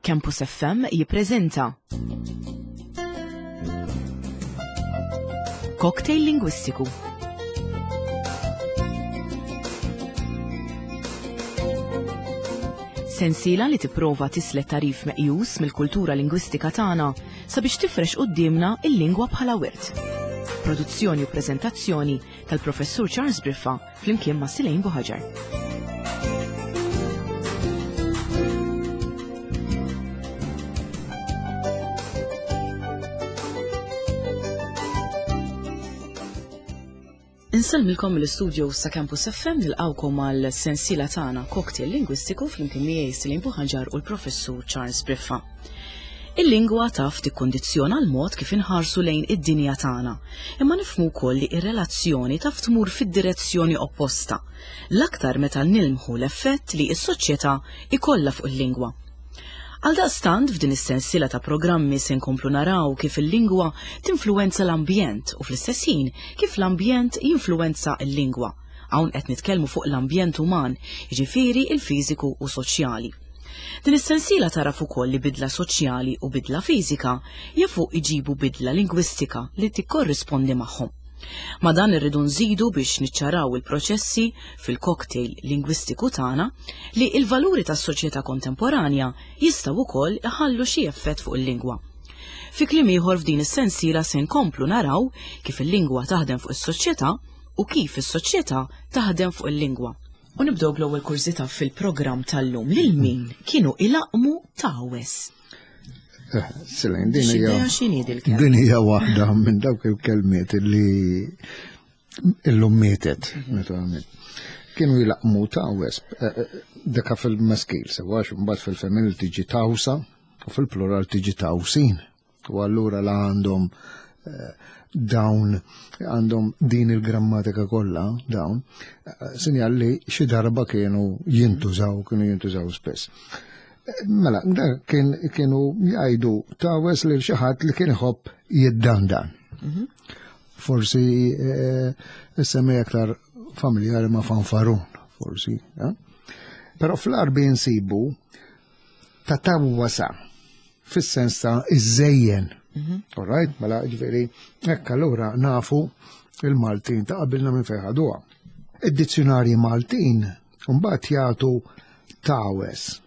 Campus FM jippreżenta Cocktail Lingwistiku. Sensiela li tipprova tislet tarif meqjus mill-kultura lingwistika tagħna sabiex tifrex quddiemna il-lingwa bħala wirt. Produzzjoni u preżentazzjoni tal-Professur Charles Briffa flimkien ma' Silejn Buħaġar. Insellmilkom mill-istudio sa' Campus FM nilqawkom għal sensiela tagħna Cocktail Lingwistiku flimkien miegħi Silejn Buħaġar u l-Professur Charles Briffa. Il-lingwa taf tikkundizzjona l-mod kif inħarsu lejn id-dinja tagħna, imma nifhmu wkoll li r-relazzjoni taf tmur fid-direzzjoni opposta, l-aktar meta nilmħu l-effett li s-soċjetà jkollha fuq il-lingwa. Għaldaqstant f'din is-sensiela ta' programmi se nkomplu naraw kif il-lingwa tinfluwenza l-ambjent u fl-istess ħin kif l-ambjent jinfluwenza l-lingwa. Hawn qed nitkellmu fuq l-ambjent uman, jiġifieri l-fiżiku u soċjali. Din is-sensiela tagħraf ukoll li bidla soċjali u bidla fiżika jafu jġibu bidla lingwistika li tikkorrispondi magħhom. Ma' dan irridu nżidu biex niċċaraw il-proċessi fil-cocktail lingwistiku tagħna li l-valuri tas-soċjetà kontemporanja jistgħu wkoll iħallu xi effett fuq il-lingwa. Fi kliem ieħor f'din is-sensiela se nkomplu naraw kif il-lingwa taħdem fuq is-soċjetà u kif is-soċjetà taħdem fuq il-lingwa. U nibdew bl-ewwel kurżità fil-programm tal-lum lil min kienu ilaqqmu tawes. Eh, Silent, din hija din hija waħda minn dawk il-kelmiet li illum mietet, mhm. naturalment. Kienu jilaqmu tawes, eh, eh, deka fil-maskil, sewa mbagħad fil-femminil tiġi tawsa u fil-plural tiġi tawsin. U allura la għandhom eh, dawn għandhom din il-grammatika kollha dawn, eh, sinjal li xi darba kienu jintużaw, kienu jintużaw spess. Eh, mela, kien kienu jgħidu tawes lil xi ħadd li kien iħobb jiddandan. Mhm. Forsi semmi aktar familjari ma' fanfarun, forsi. Però fl-arbi nsibu ta' tawwasa fis-sens ta' iżżejjen. Mhm. All right, mela ġifieri hekk allura nafu il-Maltin ta' qabilna minn fejn ħaduha. Id-dizzjonarji Maltin mbagħad jagħtu tawes,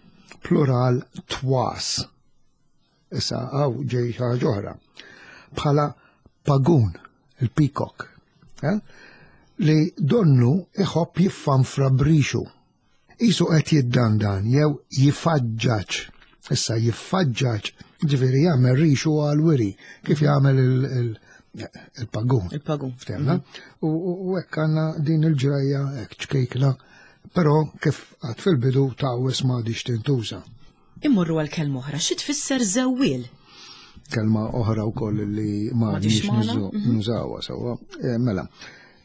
plural twas. Issa għaw ġej ħaġa oħra. Bħala pagun, il-peacock, eh? li donnu iħobb jiffanfra brixu. Qisu qed jiddandan jew jifaġġaġ. Issa jiffaġġaġ, ġifieri jagħmel rixu għal wiri, kif jagħmel il-pagun. Il-pagun. Ftemna? Mhm. U hekk għandna din il-ġrajja hekk ċkejkna, però kif għad fil-bidu ta' ma għadix tintuża. Immorru għal kelma oħra, xi tfisser żewwiel? Kelma oħra wkoll li ma għadix mhm. nużawha sewwa. Eh, mela,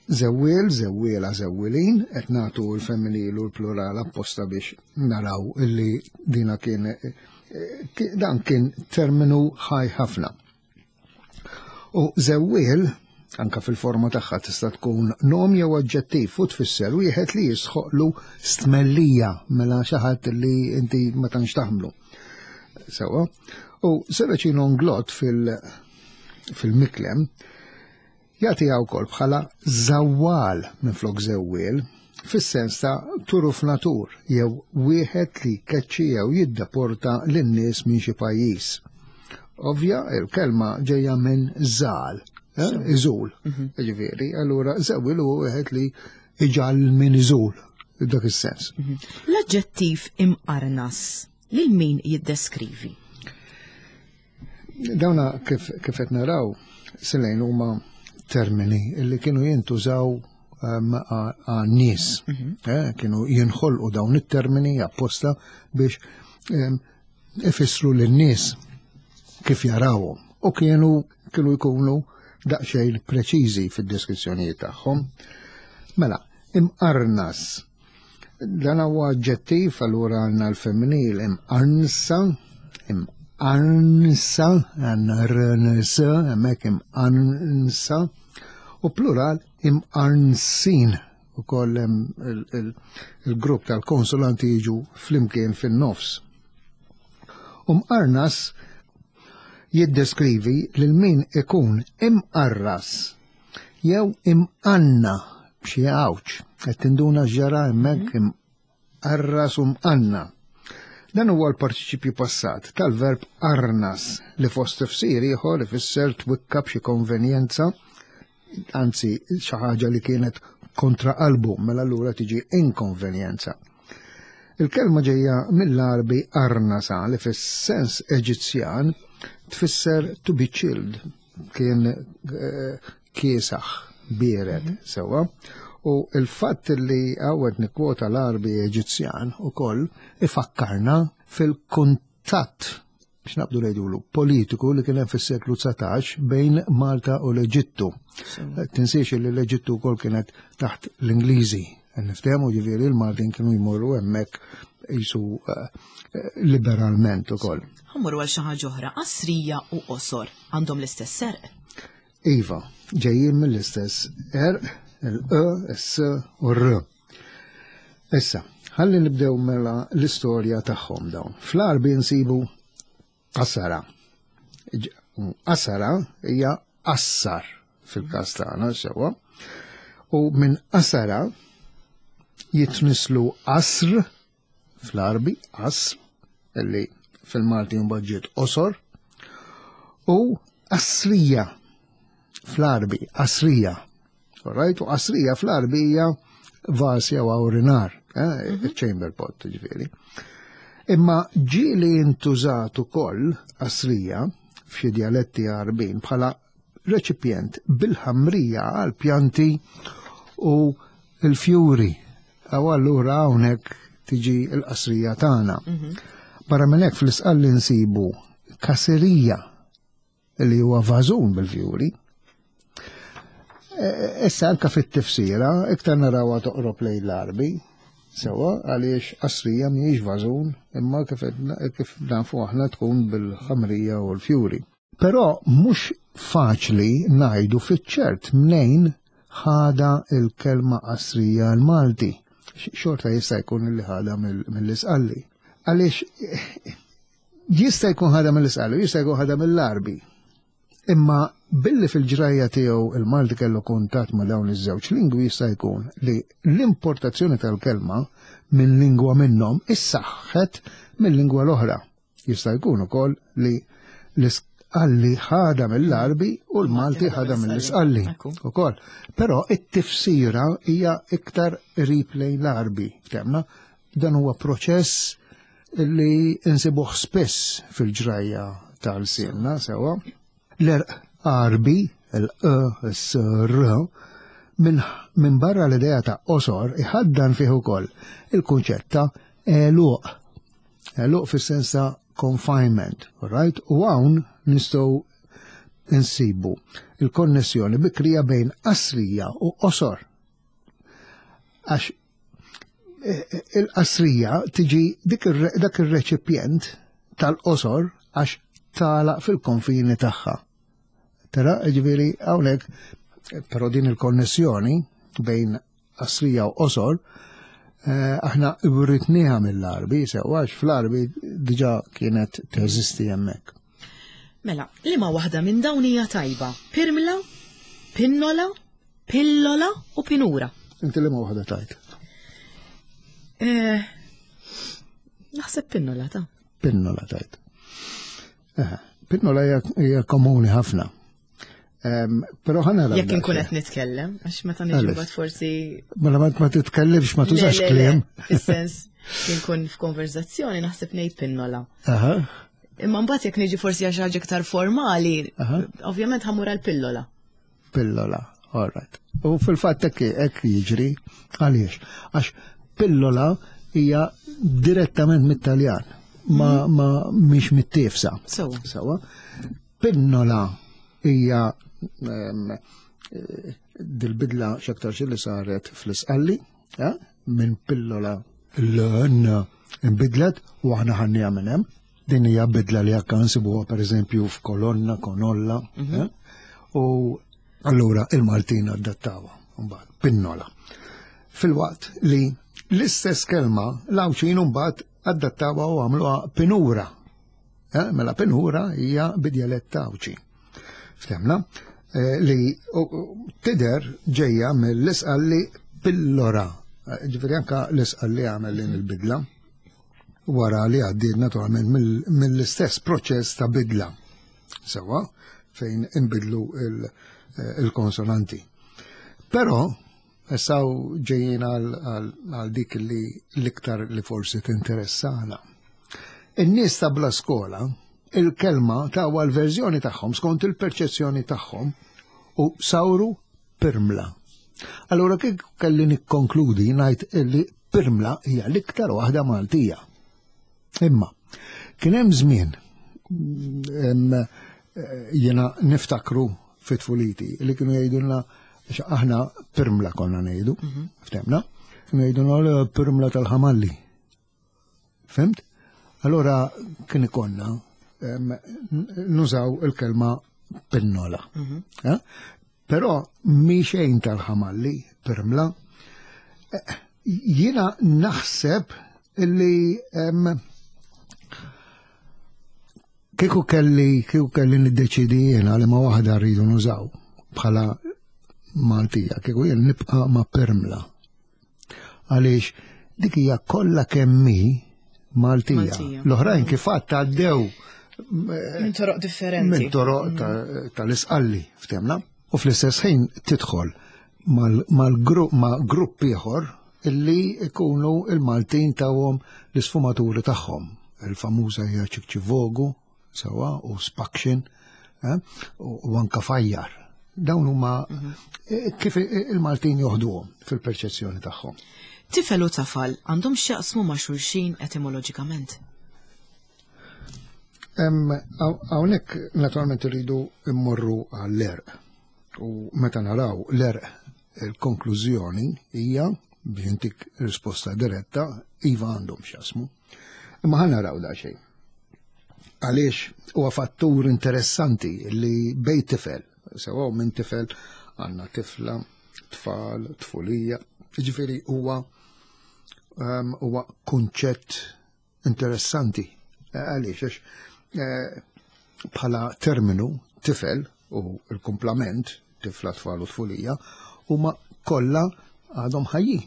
Żewwiel, żewwiela, żewwilin, qed nagħtu l-femminil u l-plural apposta biex naraw illi dina kien eh, dan kien terminu ħaj ħafna. U żewwiel, anka fil-forma tagħha tista' tkun nom jew oġġettiv u tfisser wieħed li jisħoqlu stmellija mela xi ħadd li inti ma tantx taħmlu. Sewa. U Seracino Nglot fil- fil-miklem Jagħtiha wkoll bħala żawwal minflok żewwiel, fis-sens ta' turufnatur jew wieħed li jkeċċi jew jiddeporta lin-nies minn xi pajjiż. Ovvja, il-kelma ġejja minn żal, eh, iżul. Mhm. Ġifieri, allura żewwiel huwa wieħed li iġal min iżul, dak is-sens. Mhm. L-aġġettiv imqarnas lil min jiddeskrivi? Dawna kif qed naraw silejn huma termini li kienu jintużaw ehm, għan-nies. Mhm. Eh, kienu jinħolqu dawn it-termini apposta biex ehm, ifissru lin-nies kif jarawhom. U kienu kienu jkunu daqsxejn preċiżi fid-deskrizzjonijiet tagħhom. Mela, imqarnas Dan huwa aġġettiv, allura għandna l-femminil imqarnsa, imqarnsa, għandna rns, hemmhekk imqarnsa, u plural imqarnsin u koll il-grupp tal-konsulanti jiġu flimkien fin-nofs. U mqarnas jiddeskrivi lil min ikun imqarras jew imqanna b'xi għawġ. Qed tinduna x'ġara hemmhekk mhm. imqarras u mqanna. Dan huwa l-partiċipju passat tal-verb arnas li fost tifsir ieħor ifisser twikka b'xi konvenjenza, anzi xi ħaġa li kienet kontra qalbu, mela allura tiġi inkonvenjenza. Il-kelma ġejja mill-Għarbi arnasa li fis-sens Eġizzjan tfisser to be chilled, kien eh, kiesaħ, biered, mhm. sewwa. U il-fatt li għawet nikkwota l-Għarbi Eġizzjan ukoll ifakkarna fil-kuntatt biex naqbdu ngħidulu, politiku li kien hemm fis-seklu 19 bejn Malta u l-Eġittu. Tinsiex li l-Eġittu wkoll kienet taħt l-Ingliżi. Niftehmu ġifieri l-Maltin kienu jmorru hemmhekk jisu eh, liberalment ukoll. Ħammur għal xi ħaġa oħra, qasrija u qosor għandhom l-istess serq. Iva, ġejjin mill-istess erq, il-e, s u r. Issa, ħalli nibdew mela l-istorja tagħhom dawn. Fl-Għarbi nsibu qasara. Qasara hija qassar fil-każ tagħna sewwa. U minn qasara jitnislu qasr fl-Għarbi, qasr, illi fil-Malti mbagħad ġiet qosor, u qasrija fl-Għarbi, qasrija. Right? U qasrija fl-Għarbi hija vas jew awrinar, eh, mhm. chamber pot ġifieri. Imma ġieli intużat ukoll qasrija f'xi dialetti Għarbin bħala reċipjent bil-ħamrija għal pjanti u l-fjuri. Aw allura hawnhekk tiġi l-qasrija tagħna. Mhm. Barra minn hekk fl-isqalli nsibu kaserija li huwa vażun bil-fjuri. E, e, issa anka fit-tifsira, iktar narawha toqrob lejn l-Arbi, sewa għaliex qasrija mhijiex vażun, imma kif, kif nafu aħna tkun bil-ħamrija u l-fjuri. Però mhux faċli ngħidu fiċ-ċert mnejn ħada il-kelma qasrija l-Malti. Xorta jista' jkun li ħada mill-Isqalli. Għaliex Jista' jkun ħadha mill-Isqalli, jista' jkun ħadha mill-Għarbi. Imma billi fil-ġrajja tiegħu il-Malti kellu kuntatt ma' dawn iż-żewġ lingwi jista' jkun li l-importazzjoni tal-kelma minn lingwa minnhom issaħħet mill-lingwa l-oħra. Jista' jkun ukoll li l-Isqalli ħadha mill-Għarbi u l-Malti ħadha mill-Isqalli ukoll. Però it-tifsira hija iktar qrib lejn l-Għarbi, ftemna? Dan huwa proċess li insibuh spiss fil-ġrajja tal-silna sewa. L-erq Għarbi, l-e, s, r, minn min barra l-idea ta' qosor iħaddan fih ukoll il-kunċett ta' għeluq. Għeluq fis-sens ta' confinement, right? U hawn nistgħu insibu il-konnessjoni bikrija bejn qasrija u qosor. Għax il-qasrija tiġi dak ir-reċipjent tal-qosor għax tagħlaq fil-konfini tagħha. Tara, ġifieri hawnhekk, però din il-konnessjoni bejn qasrija u qosor, eh, aħna writniha mill-Arbi, sewa għax fl-Arbi diġà kienet teżisti hemmhekk. Mela, liema waħda minn dawn hija tajba? Pirmla, pinnola, Pillola u pinura. Inti li ma waħda tajt? Eh, naħseb pinnola ta' Pinnola tajt. Eh, pinnola hija komuni ħafna. Pero ħana Jekk inkun qed nitkellem, għax meta niġi mbagħad forsi. Mela ma titkellimx ma tużax kliem. Fis-sens inkun f'konverzazzjoni naħseb ngħid pinnola. Imma mbagħad jekk niġi forsi għax ħaġa iktar formali, ovvjament ħamur għal pillola. Pillola, all right. U fil-fatt hekk hekk jiġri għaliex? Għax pillola hija direttament mit-Taljan, ma mhm. ma mhix mit-tifsa. Sewa. Sewa. Pinnola hija ehm, eh, dil-bidla x'aktar li saret fl-isqalli, eh, minn pillola l-n inbidlet u aħna ħannija minn hemm. Din hija bidla li anke nsibuha pereżempju f'kolonna, konolla, mhm. eh? u allura il-Maltin adattawha mbagħad pinnola. Filwaqt li l-istess kelma l-Għawdxin mbagħad adattawha u għamluha pinura. Eh, mela pinura hija bidjalett Għawdxi. Ftemna eh, li tider ġejja mill-isqalli pillora. Eh, ġifieri anka l-isqalli għamel din il-bidla wara li għaddiet naturalment mill-istess proċess ta' bidla. Sewa fejn inbidlu il-konsonanti. Però issa ġejjin għal dik li l-iktar li forsi tinteressana. In-nies ta' bla skola, il-kelma ta' l-verżjoni tagħhom skont il-perċezzjoni tagħhom u sawru pirmla. Allura kif kelli nikkonkludi ngħid illi pirmla hija l-iktar waħda Maltija. Imma kien hemm żmien jiena niftakru fit-tfuliti li kienu jgħidulna aħna pirmla konna ngħidu, mhm. ftemna, kienu jgħidulna pirmla tal-ħamalli. Fimt? Allora kien ikonna nużaw il-kelma pinnola. Mhm. Eh? Però mi xejn tal-ħamalli, pirmla, eh, jiena naħseb illi kieku kelli kieku kelli niddeċidi jiena li ma waħda rridu nużaw bħala Maltija, kieku jien nibqa' ma' permla. Għaliex dik hija kollha kemm hi Maltija. L-oħrajn kif għadd għaddew minn toroq differenti. Minn toroq mm. tal-isqalli, ftemna. U fl-istess ħin tidħol mal-grupp ma' grupp ieħor illi ikunu il-Maltin tawhom l-isfumaturi tagħhom. Il-famuża hija ċikċivogu, sewa u spaction eh, u anka fajjar. Dawn huma mhm. eh, kif il-Maltin joħduhom fil-perċezzjoni tagħhom. Tifel u tafal għandhom x'jaqsmu ma' xulxin etimoloġikament? Hawnhekk naturalment irridu mmorru għall-erq. U meta naraw l-erq il-konklużjoni hija biex intik risposta diretta, iva għandhom x'jaqsmu. Imma ħa naraw da xejn. Għaliex huwa fattur interessanti li bej tifel, sewa minn tifel għandna tifla, tfal, tfulija, ġifieri huwa ehm, huwa kunċett interessanti. Eh, għaliex għax eh, bħala terminu tifel u l-kumplament tifla tfal u tfulija huma kollha għadhom ħajjin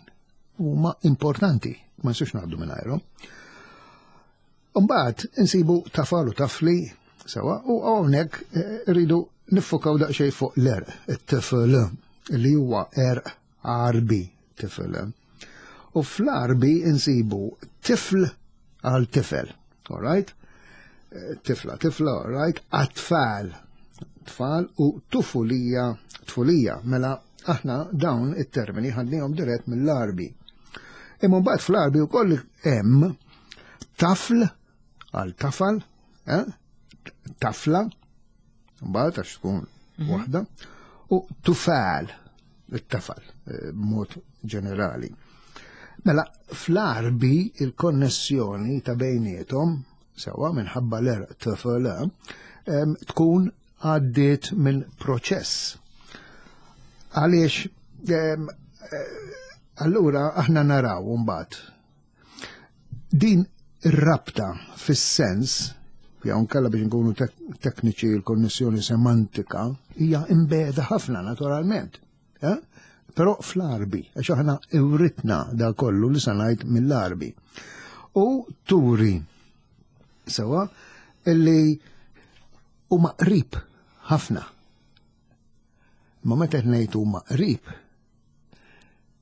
huma importanti, ma nistgħux ngħaddu mingħajrhom. Mbagħad insibu tafal u tafli sewa u hawnhekk eh, rridu niffokaw daqsxejn fuq l-erq, it-tifel li huwa erq Għarbi tifel. U fl-Għarbi insibu tifl għal tifel, all right? Eh, tifla, tifla, all right? Atfal, tfal u tufulija, tfulija. Mela aħna dawn it-termini ħadnihom dirett mill-Għarbi. Imma mbagħad fl-Għarbi wkoll hemm tafl għal tafal, eh? tafla, mbagħad għax tkun mhm. waħda, u tufal, it-tafal, eh, b'mod ġenerali. Mela, fl-arbi il-konnessjoni ta' bejnietom, sewa minħabba l-erq tfl, tkun għaddiet minn proċess. Għaliex, eh, allura aħna naraw mbagħad Din ir-rabta fis-sens, jew nkella biex nkunu tekniċi l-konnessjoni semantika, hija imbeda ħafna naturalment. Eh? Però fl-arbi, għax aħna iwritna da kollu li sanajt mill-arbi. U turi sewa illi huma qrib ħafna. Ma meta ngħid huma qrib,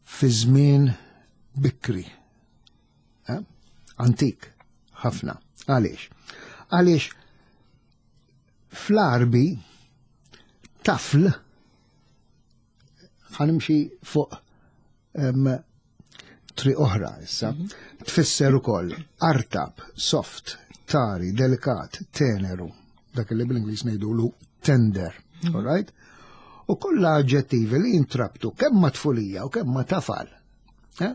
fi żmien bikri. Eh? Antik, ħafna. Għaliex? Għaliex fl-arbi tafl ħanimxi fuq tri oħra issa, mhm. tfisser ukoll artab, soft, tari, delikat, teneru, dak li bl-Ingliż ngħidulu tender, mhm. all right? U kollha aġġettivi li jintrabtu kemm ma' tfulija u kemm ma' tafal. Eh?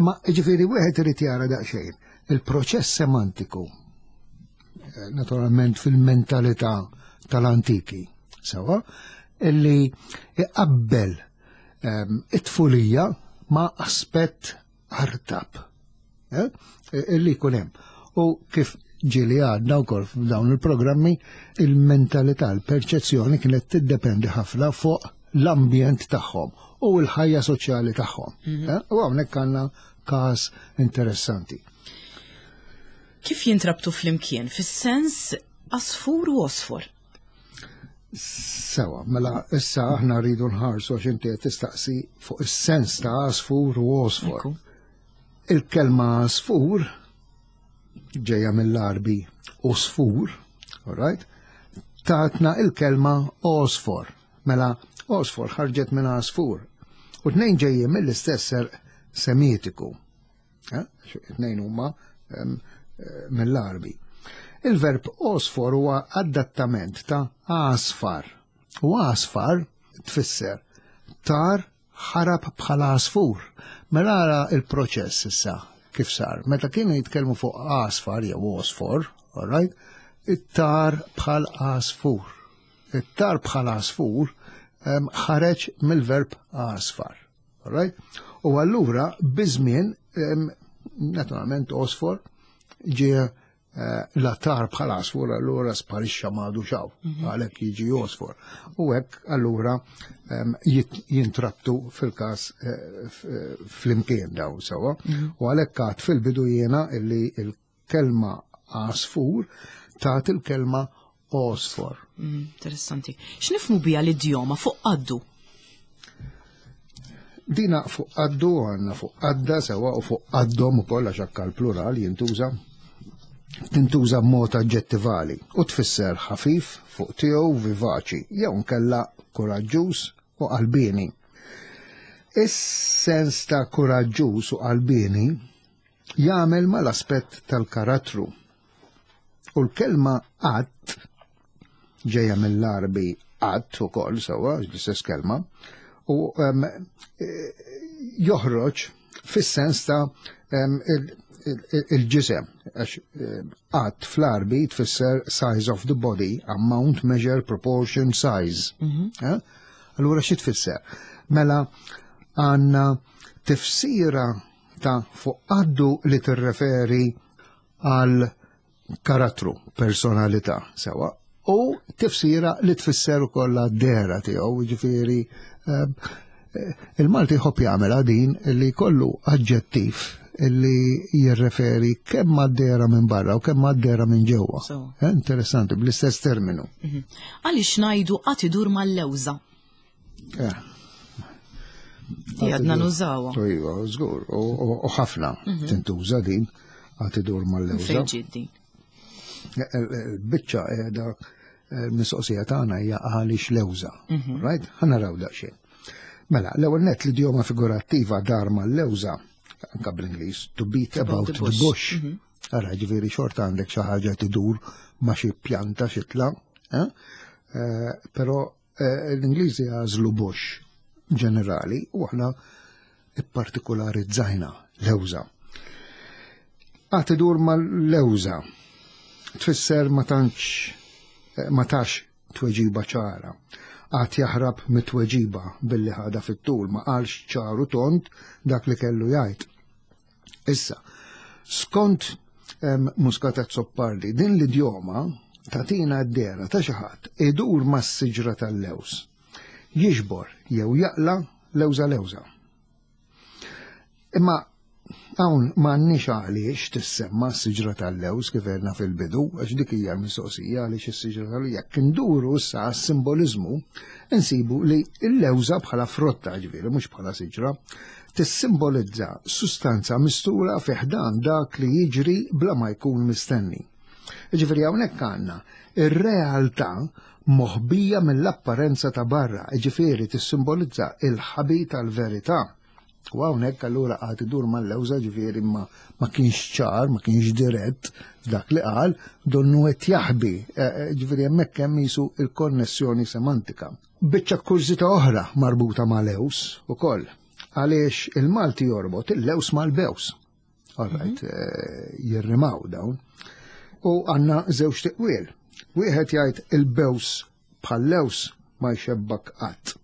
Imma ġifieri wieħed irid jara daqsxejn il-proċess semantiku eh, naturalment fil-mentalità tal-antiki, sewa, illi iqabbel ehm, it-tfulija ma' aspett artab eh, illi jkun hemm. U kif ġieli għadna wkoll f'dawn il-programmi, il-mentalità, il-perċezzjoni kienet tiddependi ħafna fuq l-ambjent tagħhom u l-ħajja soċjali tagħhom. Eh, u hawnhekk għandna każ interessanti. Kif jintrabtu flimkien fis-sens asfur u osfor? Sewa, mela issa aħna rridu nħarsu għax inti qed tistaqsi fuq is-sens ta' asfur u osfor. Il-kelma asfur ġejja mill-Arbi osfur, all right? Tatna il-kelma osfor. Mela osfor ħarġet minn asfur. U tnejn ġejjin mill-istess semitiku. Eh, tnejn huma eh, mill-Arbi. Il-verb osfor huwa adattament ta' asfar. U asfar tfisser tar ħarab bħala asfur. Mela ara il-proċess issa kif sar. Meta kienu jitkellmu fuq asfar jew osfor, all right, it-tar bħal asfur. It-tar bħal asfur ħareġ mill-verb asfar. Right? U allura biż-żmien naturalment osfor ġie eh, l-attar bħal asfor allura sparixxa m'għadu xaw, mhm. għalhekk jiġi osfor. U hekk allura jintrabtu fil-każ eh, eh, fl-imkien daw sewa. Mhm. U għalhekk għad fil-bidu jiena illi il-kelma għasfur tat il-kelma għosfor. Mm, interessanti. X'nifmu bija l-idjoma fuq qaddu? Dina fuq qaddu għandna fuq qadda sewa u fuq qaddhom ukoll għax anke l-plural jintuża tintuża b'mod aġġettivali u tfisser ħafif fuq tiegħu vivaċi jew nkella kuraġġuż u qalbieni. Is-sens ta' kuraġġuż u qalbieni jagħmel mal-aspett tal-karattru. U l-kelma qatt ġejja mill-Arbi qatt ukoll sewwa l-istess kelma u um, joħroġ fis-sens ta' um, il-ġisem għax qatt fl-Arbi tfisser size of the body, amount, measure, proportion, size. Mm -hmm. eh? Allura xi tfisser? Mela għandna tifsira ta' fuq qaddu li tirreferi għal karattru, personalità, sewa, u tifsira li tfisser ukoll għad-dehra tiegħu, jiġifieri eh, il-Malti jħobb jagħmel din li kollu aġġettiv li jirreferi kemm għad-dehra minn barra u kemm għad-dehra minn ġewwa. Eh, interessanti, bl-istess terminu. Mhm. Għaliex ngħidu qatt idur mal-lewża? Eh. Għadna nużawa. Iva, żgur, u ħafna mhm. tintuża din għad idur mal-lewża. Fejn ġiet din? Eh, eh, biċċa qiegħda mistoqsija tagħna hija għaliex lewża. Mhm. Right? Ħa naraw daqsxejn. Mela, l-ewwel net l-idjoma figurattiva dar mal-lewża, anka bl-Ingliż, to beat about the bush. Mhm. Ara, ġifieri xorta għandek xi ħaġa tidur ma' xi pjanta xitla, eh? Però Eh, l-Ingliżi għażlu bush ġenerali u aħna ippartikularizzajna lewża. Għad idur mal-lewża tfisser ma tantx eh, ma tax tweġiba ċara. Għad jaħrab mit-tweġiba billi ħada fit-tul ma qalx ċaru tont dak li kellu jgħid. Issa, skont Muscat Azzopardi, din l-idjoma tatina d-dera ta' xi ħadd idur mas-siġra tal-lews. Jiġbor jew jaqla lewża lewża. Imma hawn m'għandniex għaliex tissemma s-siġra tal-lews kif għedna fil-bidu, għax dik hija l-mistoqsija għaliex is-siġra tal-lews. Jekk induru issa għas-simboliżmu, insibu li l-lewża bħala frotta ġifieri mhux bħala siġra, tissimbolizza sustanza mistura fi ħdan dak li jiġri bla ma jkun mistenni. Ġifieri hawnhekk għandna ir-realtà moħbija mill-apparenza ta' barra, ġifieri tissimbolizza il-ħabi tal-verità. U hawnhekk allura qagħad idur mal-lewża ġifieri ma, ma kienx ċar, ma kienx dirett f'dak li qal, donnu qed jaħbi, e, e, ġifieri hemmhekk hemm jisu il-konnessjoni semantika. Biċċa kurżità oħra marbuta ma' lews ukoll, għaliex il-Malti jorbot il-lews mal-bews. All right, mhm. eh, jirrimaw dawn. U għanna żewġ tiqwiel. Wieħed jgħid il-bews bħal lews ma jxebbak qatt.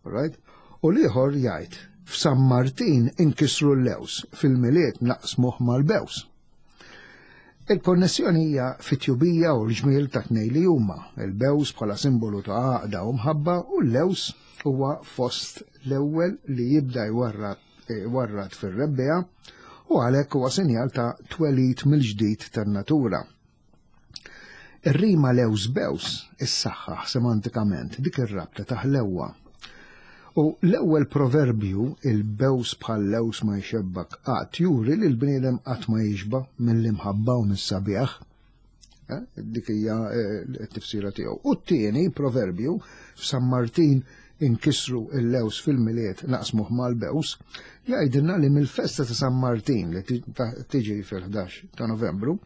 Right? U l-ieħor jgħid f'San Martin inkisru l-lews, fil-Milied naqsmuh mal-bews. Il-konnessjoni hija fit-tjubija u l-ġmiel ta' tnej li huma, il-bews bħala simbolu ta' għaqda u mħabba u l-lews huwa fost l-ewwel li jibda jwarrad fir-rebbiegħa u għalhekk huwa sinjal ta' twelid mill-ġdid tan-natura. Ir-rima lews bews issaħħaħ semantikament dik ir-rabta ta' ħlewwa. U l-ewwel proverbju il-bews bħal lews ma jxebbak qatt juri li l-bniedem qatt ma jixba mill-imħabba u mis-sabiħ. Eh, dik hija eh, t-tifsira tiegħu. U t-tieni proverbju f'San Martin inkisru il-lews fil-Milied naqsmuh mal-bews, jgħidilna li mill-festa ta' San Martin li tiġi fil-11 ta' Novembru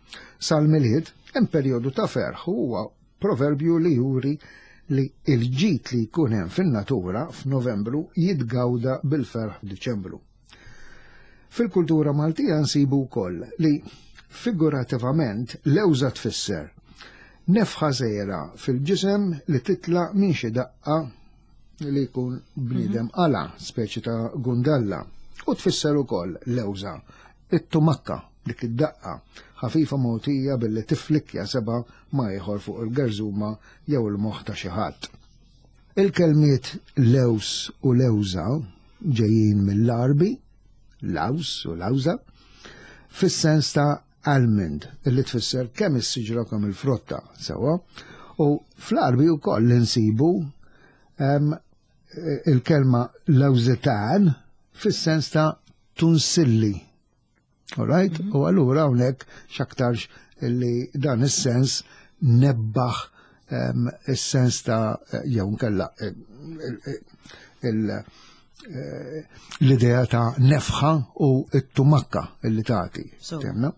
sal-Milied hemm perjodu ta' ferħ huwa proverbju li juri li il-ġid li jkun hemm fin-natura f'Novembru jitgawda bil-ferħ f'Diċembru. Fil-kultura Maltija nsibu wkoll li figurativament lewża tfisser nefħa żgħira fil-ġisem li titla' minn xi daqqa li jkun bniedem mhm. qala, speċi ta' gundalla, u tfisser ukoll lewża, it-tumakka, dik id-daqqa, ħafifa mogħtija billi tiflikkja seba' ma ieħor fuq il-gerżuma jew il-moħħ ta' xi ħadd. Il-kelmiet lews u lewża ġejjin mill-Għarbi, laws u lawża, fis-sens ta' almond, li tfisser kemm is-siġra kemm il-frotta, sewwa. U fl-Għarbi wkoll insibu il-kelma lawżetan fis-sens ta' tunsilli. All right? Mm -hmm. U allura hawnhekk x'aktarx li dan is-sens nebbaħ um, is-sens ta' jew nkella eh, eh, l-idea ta' nefħa u t-tumakka li tagħti. Temna?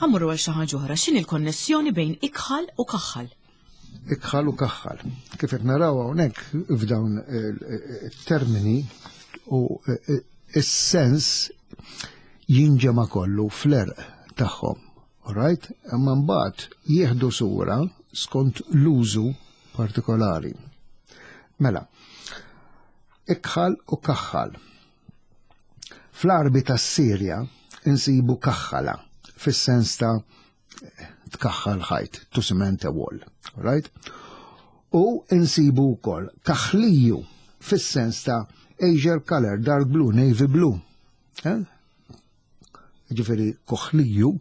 Ħammurru għal xi ħaġa oħra, x'inhi l-konnessjoni bejn ikħal u kaħħal? Ikħal u kaħħal. Kif qed naraw hawnhekk f'dawn it-termini u is-sens jinġema kollu fl-erq tagħhom. Right? Imma mbagħad jieħdu sura skont l-użu partikolari. Mela, ikħal u kaħħal. Fl-Għarbi tas-Sirja insibu kaħħala fis-sens ta' tkaħħal ħajt, to cement a wall. Right? U insibu wkoll kaħliju fis-sens ta' azure color, dark blue, navy blue. Eh? Ġifieri koħliju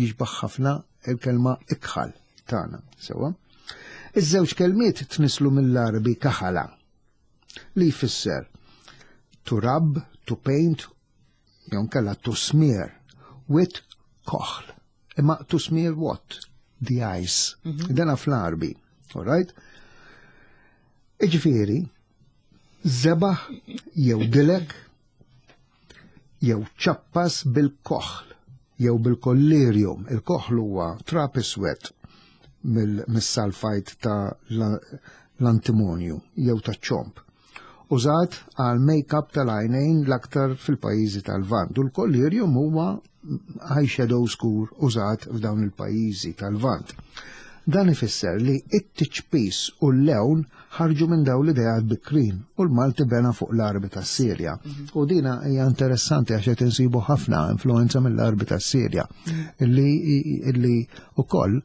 jixbaħ ħafna il-kelma ikħal tagħna, sewa. Iż-żewġ kelmiet tnislu mill-Għarbi kaħala li jfisser to rub, to paint, jew nkella to smear with koħl. Imma to smear what? The eyes. Mm -hmm. Dana fl-Għarbi, all right? Iġifieri, zebaħ jew dilek jew ċappas bil-koħl jew bil-kollirium. Il-koħl huwa trap iswed mis-salfajt ta' l-antimonju jew ta' ċomp. Użat għal make-up tal-għajnejn l-aktar fil-pajjiżi tal-Lvant. U l-kollirium huwa eyeshadow skur użat f'dawn il-pajjiżi tal-Lvant. Dan ifisser li it-tiċpis u l-lewn ħarġu minn dawn l-ideat bikrin u l-Malti bena fuq l-Għarbi tas-Sirja. Mhm. U dina hija interessanti għax qed insibu ħafna influenza mill-Għarbi tas-Sirja mhm. illi illi ukoll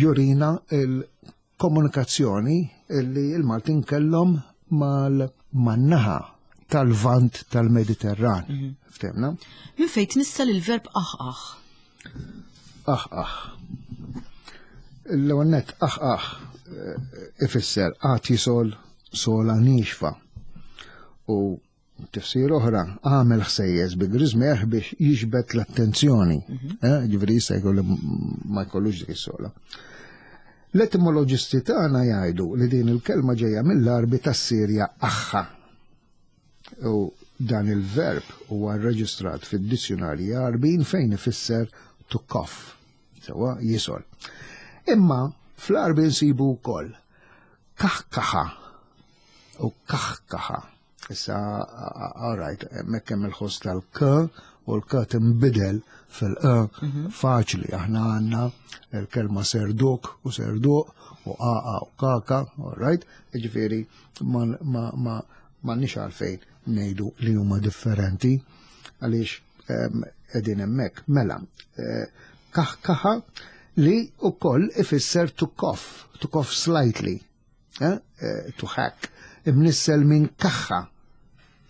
jurina il-komunikazzjoni illi il-Maltin kellhom mal-naħa tal-vant tal-Mediterran. Mhm. Ftemna? Minn fejn tnissel il-verb aħ aħ? Aħ aħ. L-ewwel nett aħ aħ eh, ifisser għad jisol sola nixfa. U tifsir oħra għamel ħsejjes bi griżmeh biex jiġbed l-attenzjoni. Mhm. Eh, ġifieri jista' jkollu ma jkollux dik is-sola. L-etimoloġisti tagħna jgħidu li din il-kelma ġejja mill-Għarbi tas-Sirja aħħa. U dan il-verb huwa rreġistrat fid-dizzjunarji Għarbin fejn ifisser to cough, sewwa jisol. Imma fl-Għarbi nsibu wkoll kaħkaħa u kaħkaħa. Issa, all right, hemmhekk hemm il-ħoss tal-k u l-k tinbidel fil-e mhm. faċli. Aħna għandna l-kelma serduk u serduq u qaqa u kaka, all right, ġifieri ma ma m'għandniex għalfejn ngħidu li huma differenti għaliex qegħdin hemmhekk. Mela, eh, kaħkaħa li wkoll ifisser to cough, to cough slightly, eh? eh to hack, imnissel minn kaħħa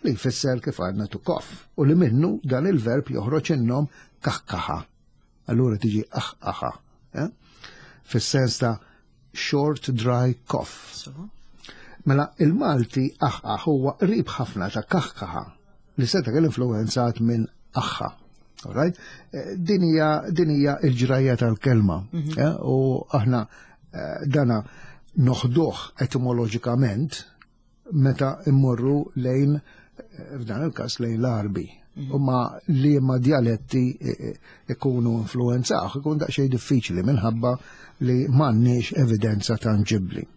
li jfisser kif għadna to cough u li minnu dan il-verb joħroġ in-nom kaħkaħa. Allura tiġi aħqaħa. Eh? Fis-sens ta' short dry cough. Mela il-Malti aħqaħ huwa qrib ħafna ta' kaħkaħa li seta' kien influenzat minn aħħa. Alright? Eh, din hija din hija l-ġrajja tal-kelma. Mhm. Eh, u aħna eh, dana noħduh etimoloġikament meta immorru lejn f'dan il-każ lejn l-Arbi. Mhm. U ma li ma djaletti ikunu influenzaw, ikun daqsxejn diffiċli minħabba li m'għandniex evidenza tanġibbli.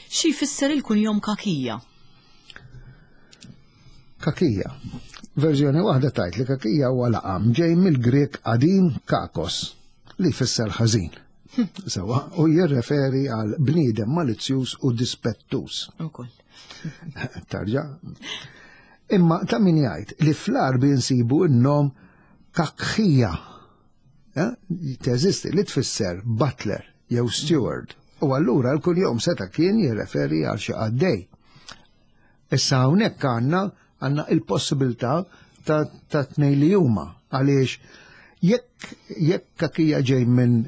Xi jfisser il-kunjom kakija? Kakija. Verżjoni waħda tajt li kakija huwa laqam ġej mill-Grek qadim kakos li jfisser ħażin. Sewa, u jirreferi għal bniedem malizzjuż u dispettuż. Ukoll. Tarġa. Imma ta' min jgħid li fl-Arbi nsibu n-nom kakħija. Eh, teżisti li tfisser butler jew steward. U allura l-kuljom seta' kien jirreferi għal xi qaddej. Issa hawnhekk għandna għandna il-possibilità ta', ta tnej li huma għaliex jekk jekk kakija ġej minn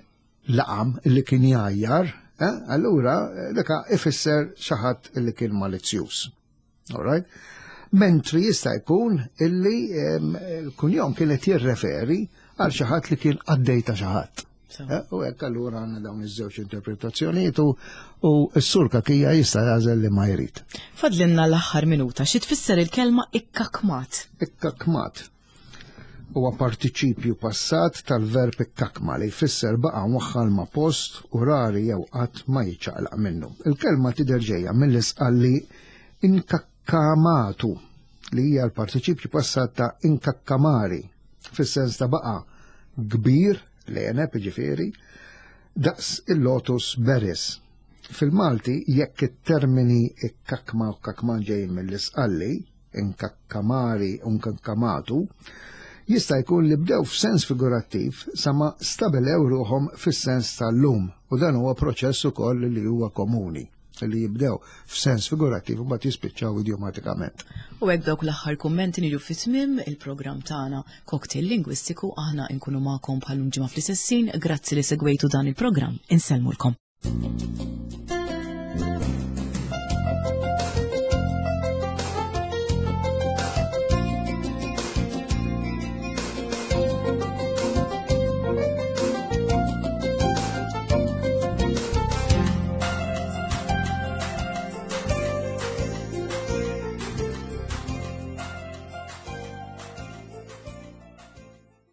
laqam li kien jgħajjar, eh, allura eh, daka ifisser xi ħadd li kien malizzjuż. All right? Mentri jista' jkun illi l-kunjom kienet jirreferi għal xi ħadd li kien qaddej ta' xi ħadd. Eh, u hekk allura għandna dawn iż-żewġ interpretazzjonijiet u s-sur kakija jista' jagħżel li ma jrid. Fadlinna l-aħħar minuta, xi tfisser il-kelma ikkakmat? Ikkakmat huwa partiċipju passat tal-verb ikkakma li jfisser baqa' mwaħħal ma' post u rari jew qatt ma jiċċaqlaq minnu. Il-kelma tidher ġejja mill-isqalli inkakkamatu li hija l-partiċipju passat ta' inkakkamari fis-sens ta' baqa' kbir l-għeneb jiġifieri, daqs il-lotus berries. Fil-Malti, jekk it-termini ikkakma u kakman ġejjin mill-Isqalli, inkakkamari u nkakkamatu, jista' jkun li bdew f'sens figurattiv sa ma stabilew ruħhom fis-sens tal-lum u dan huwa proċess ukoll li huwa komuni li jibdew f'sens figurattiv u mbagħad jispiċċaw idjomatikament. U hekk dawk l-aħħar kummenti niġu fi tmiem il-programm tagħna Cocktail Lingwistiku aħna nkunu magħkom bħal ġimgħa fl-istessin. Grazzi li segwejtu dan il-programm. Insellmulkom.